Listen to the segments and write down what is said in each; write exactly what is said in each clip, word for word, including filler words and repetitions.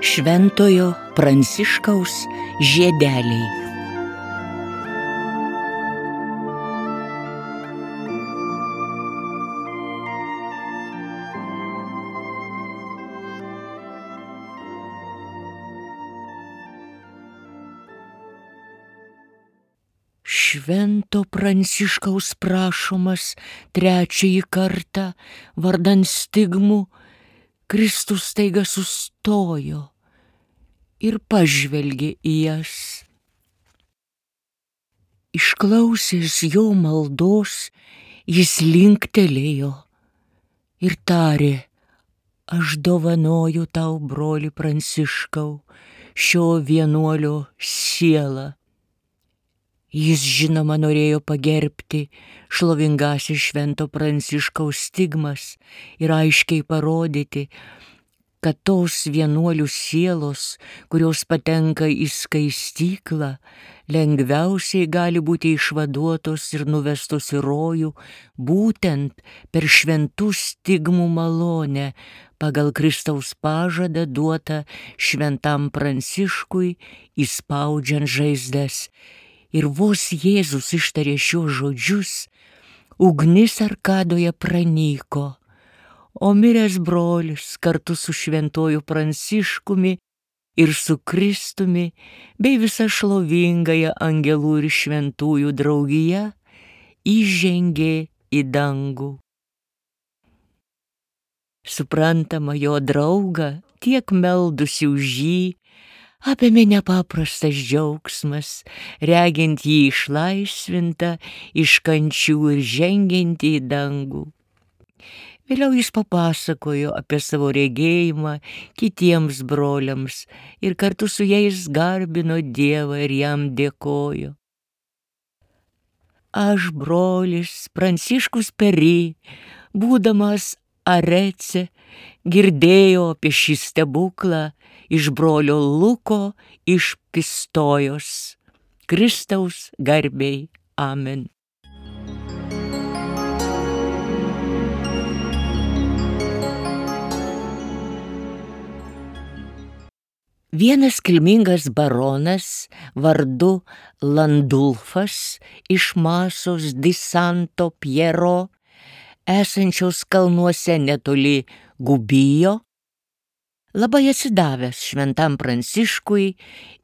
Šventojo Pranciškaus žiedeliai. Švento Pranciškaus prašomas trečiąjį kartą vardan stigmų, Kristus staiga sustojo ir pažvelgė į jas. Išklausęs jo maldos, jis linktelėjo ir tarė: aš dovanoju tau, broli Pranciškau, šio vienuolio sielą. Jis, žinoma, norėjo pagerbti šlovingasis Švento Pranciškaus stigmas ir aiškiai parodyti, kad tos vienuolių sielos, kurios patenka į skaistyklą, lengviausiai gali būti išvaduotos ir nuvestos į rojų būtent per šventų stigmų malonę pagal Kristaus pažadą duotą Šventam Pranciškui įspaudžiant žaizdas. Ir vos Jėzus ištarė šios žodžius, ugnis arkadoje pranyko, o miręs brolis kartu su šventuoju Pranciškumi ir su Kristumi bei visa šlovingąja angelų ir šventųjų draugija įžengė į dangų. Suprantama, jo draugą, tiek meldusi už jį, apėmė nepaprastas džiaugsmas, regint jį išlaisvintą iš kančių ir žengiantį į dangų. Vėliau jis papasakojo apie savo regėjimą kitiems broliams ir kartu su jais garbino Dievą ir jam dėkojo. Aš, brolis Pranciškus Pery, būdamas Arece, girdėjau apie šį stebuklą iš brolio Luko iš Pistojos. Kristaus garbei. Amen. Vienas kilmingas baronas vardu Landulfas iš Masos di Santo Piero, esančios kalnuose netoli Gubijo, labai atsidavęs Šventam Pranciškui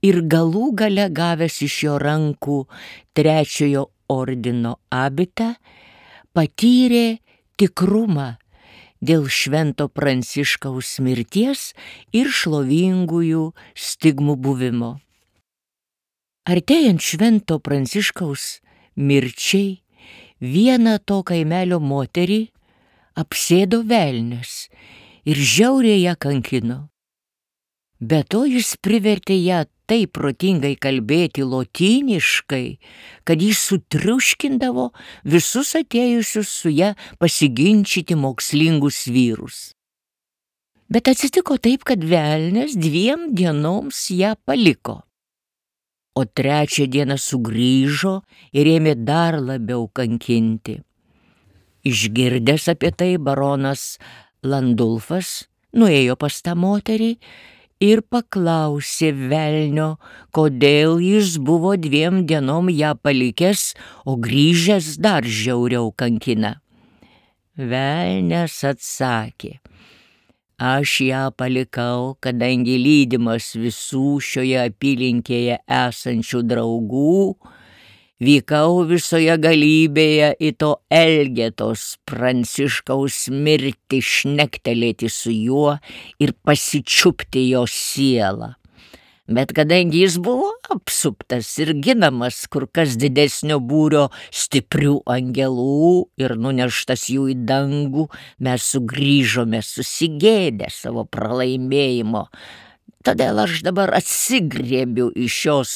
ir galų gale gavęs iš jo rankų trečiojo ordino abitą, patyrė tikrumą dėl Švento Pranciškaus mirties ir šlovingųjų stigmų buvimo. Artėjant Švento Pranciškaus mirčiai, vieną to kaimelio moterį apsėdo velnias ir žiauriai ją kankino. Be to jis privertė ją taip protingai kalbėti lotyniškai, kad jis sutriuškindavo visus atėjusius su ją pasiginčyti mokslingus vyrus. Bet atsitiko taip, kad velnias dviem dienoms ją paliko, o trečią dieną sugrįžo ir ėmė dar labiau kankinti. Išgirdęs apie tai, baronas Landulfas nuėjo pas tą moterį ir paklausė velnio, kodėl jis buvo dviem dienom ją palikęs, o grįžęs dar žiauriau kankina. Velnias atsakė: aš ją palikau, kadangi lydimas visų šioje apylinkėje esančių draugų, vykau visoje galybėje į to Elgetos Pranciškaus mirtį šnektelėti su juo ir pasičiupti jo sielą. Bet kadangi jis buvo apsuptas ir ginamas kur kas didesnio būrio stiprių angelų ir nuneštas jų į dangų, mes sugrįžome susigėdę savo pralaimėjimo. Todėl aš dabar atsigriebiu iš šios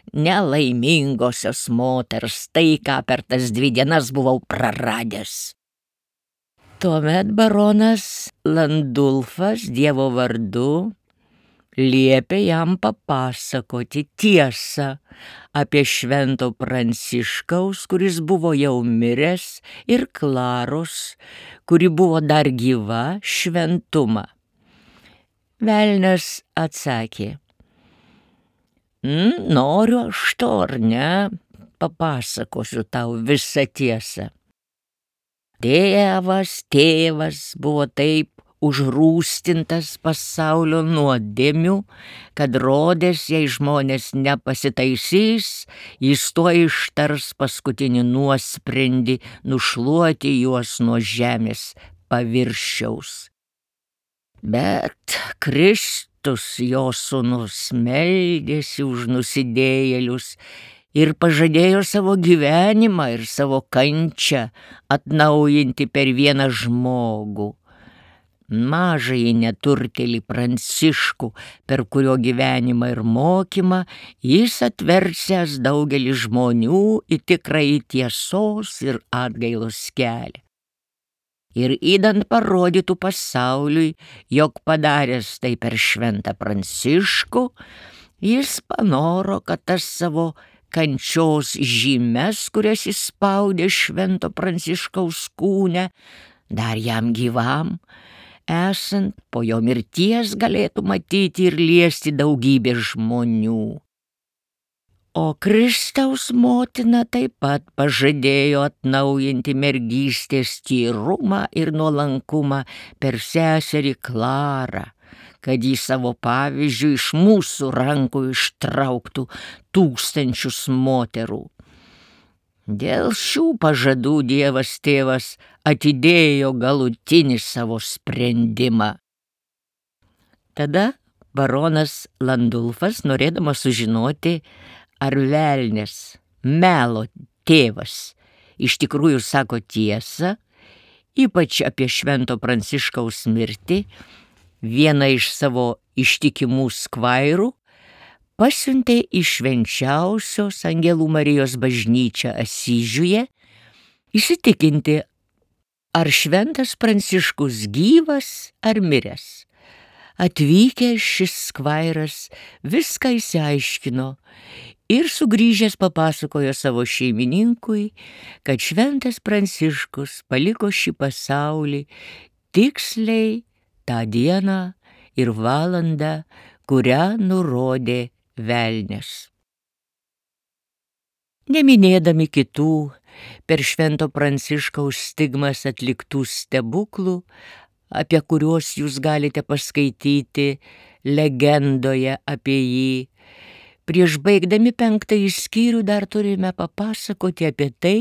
nelaimingosios moters tai, ką per tas dvi dienas buvau praradęs. Tuomet baronas Landulfas Dievo vardu liepė jam papasakoti tiesą apie Švento Pranciškaus, kuris buvo jau miręs, ir Klaros, kuri buvo dar gyva, šventumą. Velnias atsakė: "N, noriu aš to ar ne, papasakosiu tau visą tiesą. Tėvas, tėvas buvo taip užrūstintas pasaulio nuodėmių, kad rodės, jei žmonės nepasitaisys, jis tuoj ištars paskutinį nuosprendį nušluoti juos nuo žemės paviršiaus. Bet Kristus, jo sūnus, meldėsi už nusidėjėlius ir pažadėjo savo gyvenimą ir savo kančią atnaujinti per vieną žmogų, mažąjį neturtėlį Pranciškų, per kurio gyvenimą ir mokymą jis atversiąs daugelį žmonių į tikrąjį tiesos ir atgailos kelią. Ir įdant parodytų pasauliui, jog padaręs tai per šventą Pranciškų, jis panoro, kad tas savo kančios žymes, kurias jis spaudė švento Pranciškaus kūne, dar jam gyvam, esant po jo mirties galėtų matyti ir liesti daugybę žmonių. O Kristaus motina taip pat pažadėjo atnaujinti mergystės tyrumą ir nuolankumą per seserį Klarą, kad jį savo pavyzdžiu iš mūsų rankų ištrauktų tūkstančius moterų. Dėl šių pažadų Dievas tėvas atidėjo galutinį savo sprendimą." Tada baronas Landulfas, norėdamas sužinoti, ar velnias, melo tėvas, iš tikrųjų sako tiesą, ypač apie švento Pranciškaus mirtį, vieną iš savo ištikimų skvairų pasiuntė į švenčiausios Angelų Marijos bažnyčią Asyžiuje įsitikinti, ar šventas Pranciškus gyvas ar miręs. Atvykęs šis skvairas viską išsiaiškino ir sugrįžęs papasakojo savo šeimininkui, kad šventas Pranciškus paliko šį pasaulį tiksliai tą dieną ir valandą, kurią nurodė velnias. Neminėdami kitų per švento Pranciškaus stigmas atliktų stebuklų, apie kuriuos jūs galite paskaityti legendoje apie jį, prieš baigdami penktąjį skyrių dar turime papasakoti apie tai,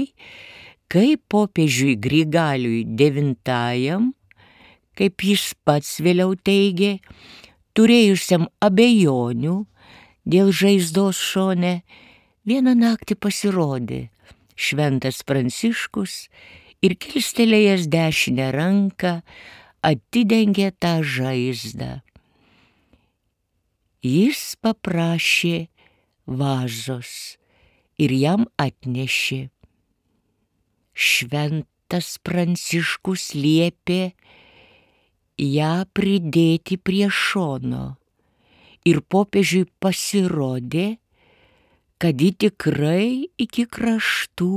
kaip popiežiui Grigaliui devintajam, kaip jis pats vėliau teigė, turėjusiam abejonių dėl žaizdos šone, vieną naktį pasirodė šventas Pranciškus ir kilstelėjęs dešinę ranką atidengė tą žaizdą. Jis paprašė vazos ir jam atnešė. Šventas Pranciškus liepė ją pridėti prie šono ir popiežiui pasirodė, kad ji tikrai iki kraštų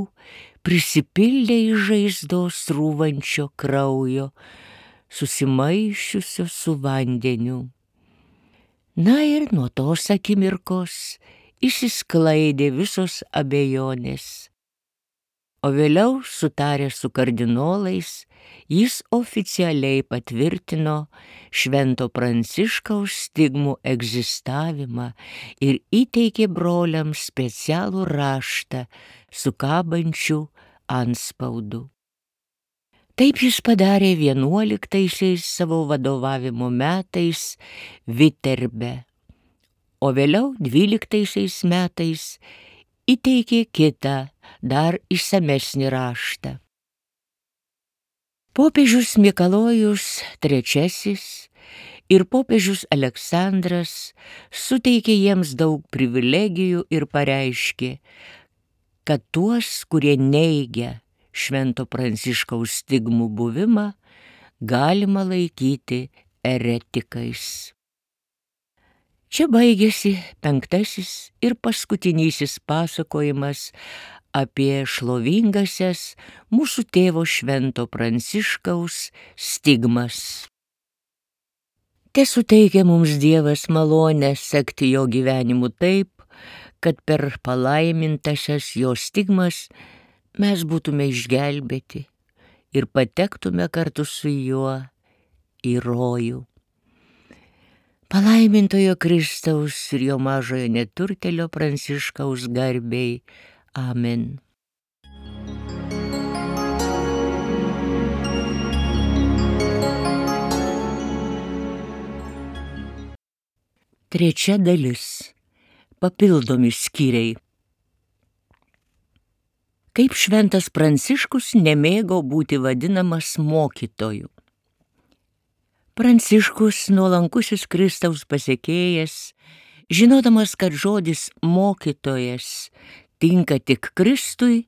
prisipildė iš žaizdos rūvančio kraujo, susimaišiusio su vandeniu. Na ir nuo tos akimirkos išsisklaidė visos abejonės. O vėliau, sutaręs su kardinolais, jis oficialiai patvirtino švento Pranciškaus stigmų egzistavimą ir įteikė broliams specialų raštą su kabančiu antspaudu. Taip jis padarė vienuoliktaisiais savo vadovavimo metais Viterbe, o vėliau dvyliktaisiais metais įteikė kitą, dar išsamesnį raštą. Popiežius Mikalojus trečiasis ir popiežius Aleksandras suteikė jiems daug privilegijų ir pareiškė, kad tuos, kurie neigia švento Pranciškaus stigmų buvimą, galima laikyti eretikais. Čia baigėsi penktasis ir paskutinysis pasakojimas apie šlovingasias mūsų tėvo švento Pranciškaus stigmas. Te suteikia mums Dievas malonę sekti jo gyvenimu taip, kad per palaimintasias jo stigmas mes būtume išgelbėti ir patektume kartu su juo į rojų. Palaimintojo Kristaus ir jo mažojo neturtelio Pranciškaus garbei. Amen. Trečia dalis. Papildomi skyriai. Kaip šventas Pranciškus nemėgo būti vadinamas mokytoju. Pranciškus, nuolankusis Kristaus pasekėjas, žinodamas, kad žodis mokytojas tinka tik Kristui,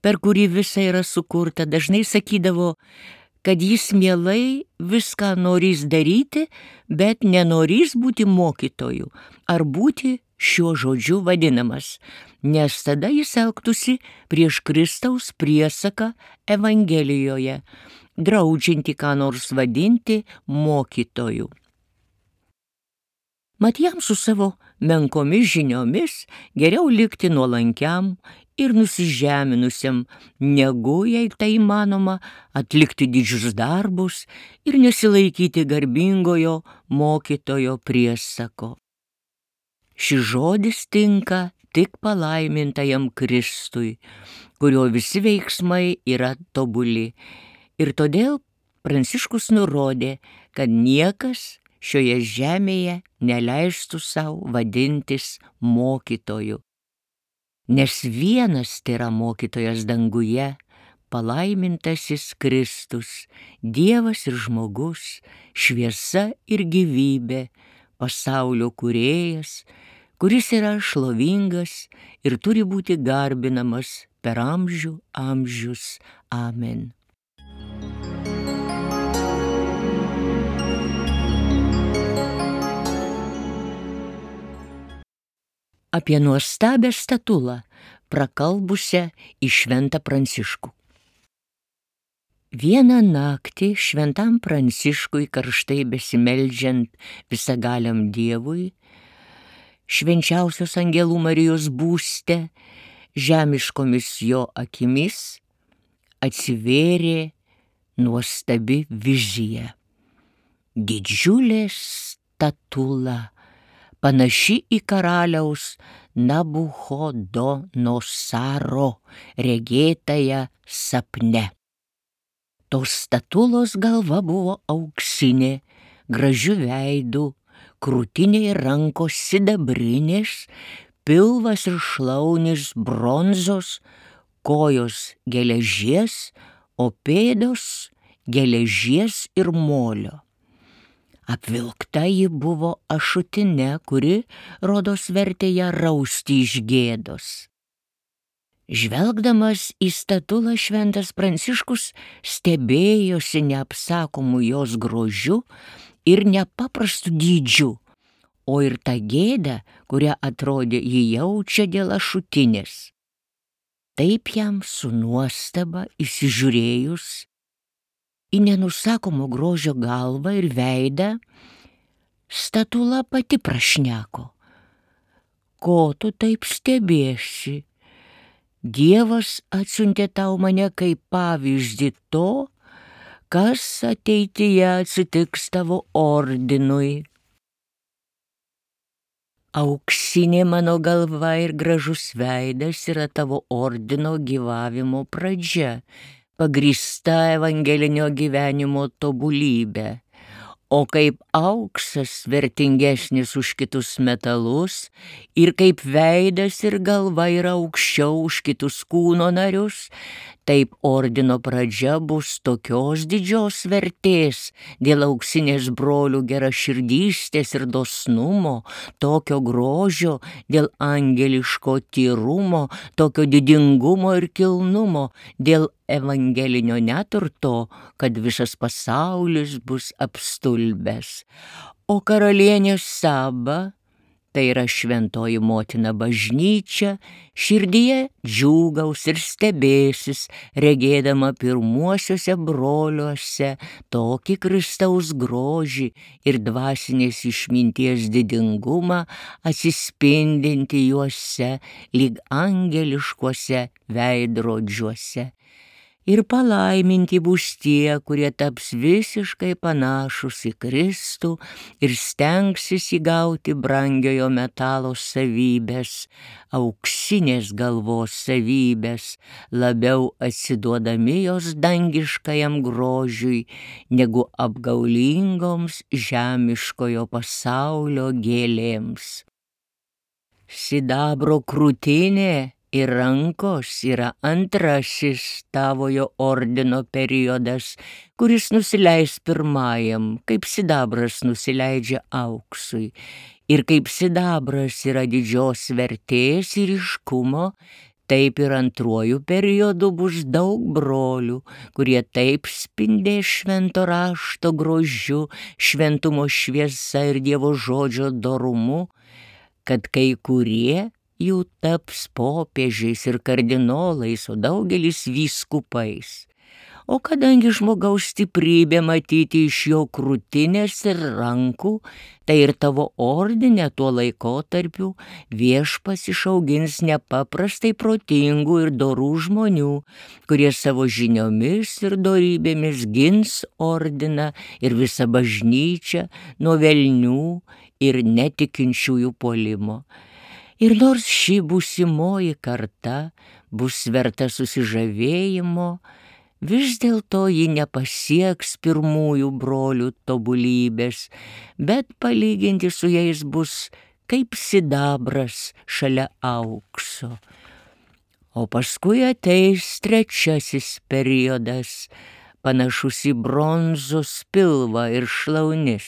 per kurį visa yra sukurta, dažnai sakydavo, kad jis mielai viską norės daryti, bet nenorės būti mokytoju ar būti šiuo žodžiu vadinamas, nes tada jis elgtųsi prieš Kristaus priesaką Evangelijoje, draudžianti ką nors vadinti mokytoju. Mat jam su savo menkomis žiniomis geriau likti nuolankiam ir nusižeminusiam, negu, jei tai įmanoma, atlikti didžius darbus ir nesilaikyti garbingojo mokytojo priesako. Šis žodis tinka tik palaimintajam Kristui, kurio visi veiksmai yra tobuli. Ir todėl Pranciškus nurodė, kad niekas šioje žemėje neleistų savo vadintis mokytoju. Nes vienas tėra mokytojas danguje, palaimintasis Kristus, Dievas ir žmogus, šviesa ir gyvybė, pasaulio kūrėjas, kuris yra šlovingas ir turi būti garbinamas per amžių amžius. Amen. Apie nuostabią statulą, prakalbusią į šventą Pranciškų. Vieną naktį šventam Pranciškui karštai besimeldžiant visagaliam Dievui, švenčiausios angelų Marijos būste, žemiškomis jo akimis atsivėrė nuostabi vizija. Didžiulė statula, panaši į karaliaus Nabuchodonosaro regėtąją sapne. Tos statulos galva buvo auksinė, gražiu veidu, krūtinė ir rankos sidabrinės, pilvas ir šlaunis bronzos, kojos geležies, o pėdos geležies ir molio. Apvilkta ji buvo ašutine, kuri, rodos, vertė ją rausti iš gėdos. Žvelgdamas į statulą, šventas Pranciškus stebėjosi neapsakomu jos grožiu ir nepaprastu dydžiu, o ir tą gėdą, kurią atrodė jį jaučia dėl ašutinės. Taip jam su nuostaba įsižiūrėjus į nenusakomo grožio galvą ir veidą, statula pati prašneko. Ko tu taip stebėsi? Dievas atsiuntė tau mane kaip pavyzdį to, kas ateityje atsitiks tavo ordinui. Auksinė mano galva ir gražus veidas yra tavo ordino gyvavimo pradžia, pagrįsta evangelinio gyvenimo tobulybė, o kaip auksas vertingesnis už kitus metalus ir kaip veidas ir galva yra aukščiau už kitus kūno narius, taip ordino pradžia bus tokios didžios vertės dėl auksinės brolių geraširdystės ir dosnumo, tokio grožio dėl angeliško tyrumo, tokio didingumo ir kilnumo, dėl evangelinio neturto, kad visas pasaulis bus apstulbęs. O karalienė Saba tai yra šventoji motina bažnyčia, širdyje džiūgaus ir stebėsis, regėdama pirmuosiuose broliuose tokį Kristaus grožį ir dvasinės išminties didingumą atsispindinti juose lyg angeliškuose veidrodžiuose. Ir palaiminti bus tie, kurie taps visiškai panašus į Kristų ir stengsis įgauti brangiojo metalo savybės, auksinės galvos savybės, labiau atsiduodami jos dangiškajam grožiui, negu apgaulingoms žemiškojo pasaulio gėlėms. Sidabro krūtinė ir rankos yra antrasis tavojo ordino periodas, kuris nusileis pirmajam, kaip sidabras nusileidžia auksui. Ir kaip sidabras yra didžios vertės ir ryškumo, taip ir antruoju periodu bus daug brolių, kurie taip spindės švento rašto grožiu, šventumo šviesa ir Dievo žodžio dorumu, kad kai kurie jų taps popiežiais ir kardinolais, o daugelis vyskupais. O kadangi žmogaus stiprybė matyti iš jo krūtinės ir rankų, tai ir tavo ordine tuo laikotarpiu Viešpats išaugins nepaprastai protingų ir dorų žmonių, kurie savo žiniomis ir dorybėmis gins ordiną ir visą bažnyčią nuo velnių ir netikinčiųjų puolimo. Ir nors ši būsimoji karta bus verta susižavėjimo, vis dėlto ji nepasieks pirmųjų brolių tobulybės, bet palyginti su jais bus kaip sidabras šalia aukso. O paskui ateis trečiasis periodas, panašus į bronzos pilvą ir šlaunis.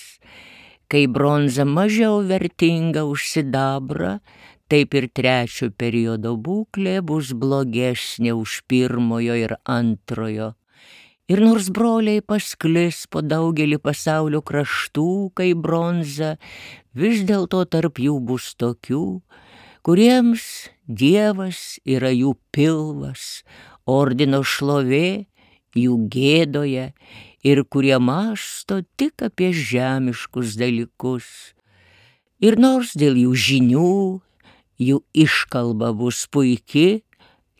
Kai bronza mažiau vertinga už sidabrą, taip ir trečio periodo būklė bus blogesnė už pirmojo ir antrojo. Ir nors broliai pasklis po daugelį pasaulio kraštų, kaip bronza, vis dėlto tarp jų bus tokių, kuriems Dievas yra jų pilvas, ordino šlovė jų gėdoje ir kurie mąsto tik apie žemiškus dalykus. Ir nors dėl jų žinių, jų iškalba bus puiki,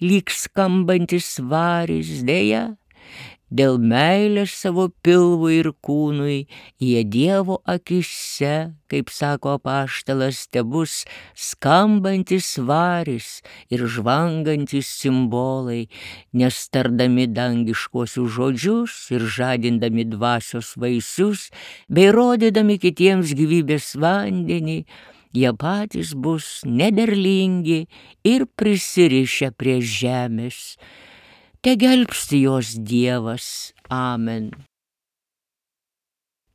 lyg skambantis varis, deja, dėl meilės savo pilvui ir kūnui, jie Dievo akise, kaip sako apaštalas, tebus skambantis varis ir žvangantis simbolai, nes tardami dangiškuosius žodžius ir žadindami dvasios vaisius, bei rodydami kitiems gyvybės vandenį, jie patys bus nederlingi ir prisirišę prie žemės. Te gelbsti jos Dievas. Amen.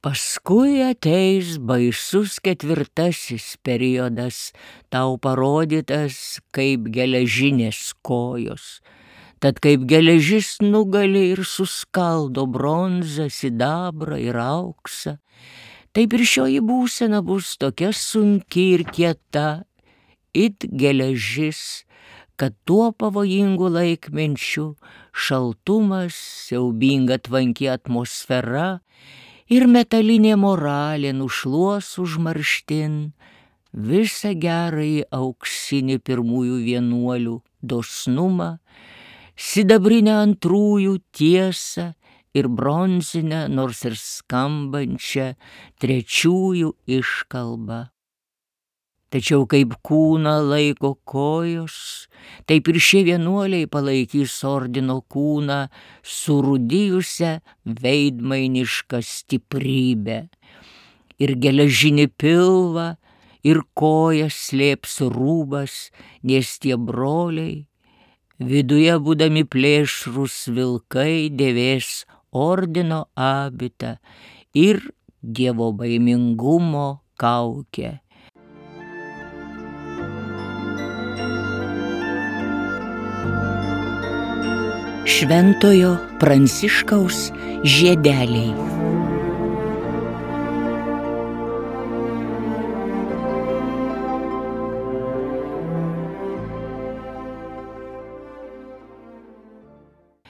Paskui ateis baisus ketvirtasis periodas, tau parodytas kaip geležinės kojos. Tad kaip geležis nugali ir suskaldo bronzą, sidabrą ir auksą, taip ir šioji būsena bus tokia sunki ir kieta, it geležis, kad tuo pavojingu laikmenčiu šaltumas, siaubinga tvanki atmosfera ir metalinė moralė nušluos užmarštin visą gerąjį auksinį pirmųjų vienuolių dosnumą, sidabrinę antrųjų tiesą ir bronzinę, nors ir skambančią trečiųjų iškalbą. Tačiau kaip kūną laiko kojos, taip ir šie vienuoliai palaikys ordino kūną surūdijusią veidmainišką stiprybę. Ir geležinį pilvą, ir kojas slėps rūbas, nes tie broliai, viduje būdami plėšrūs vilkai, dėvės ordino abitą ir Dievo baimingumo kaukę. Šventojo Pranciškaus žiedeliai.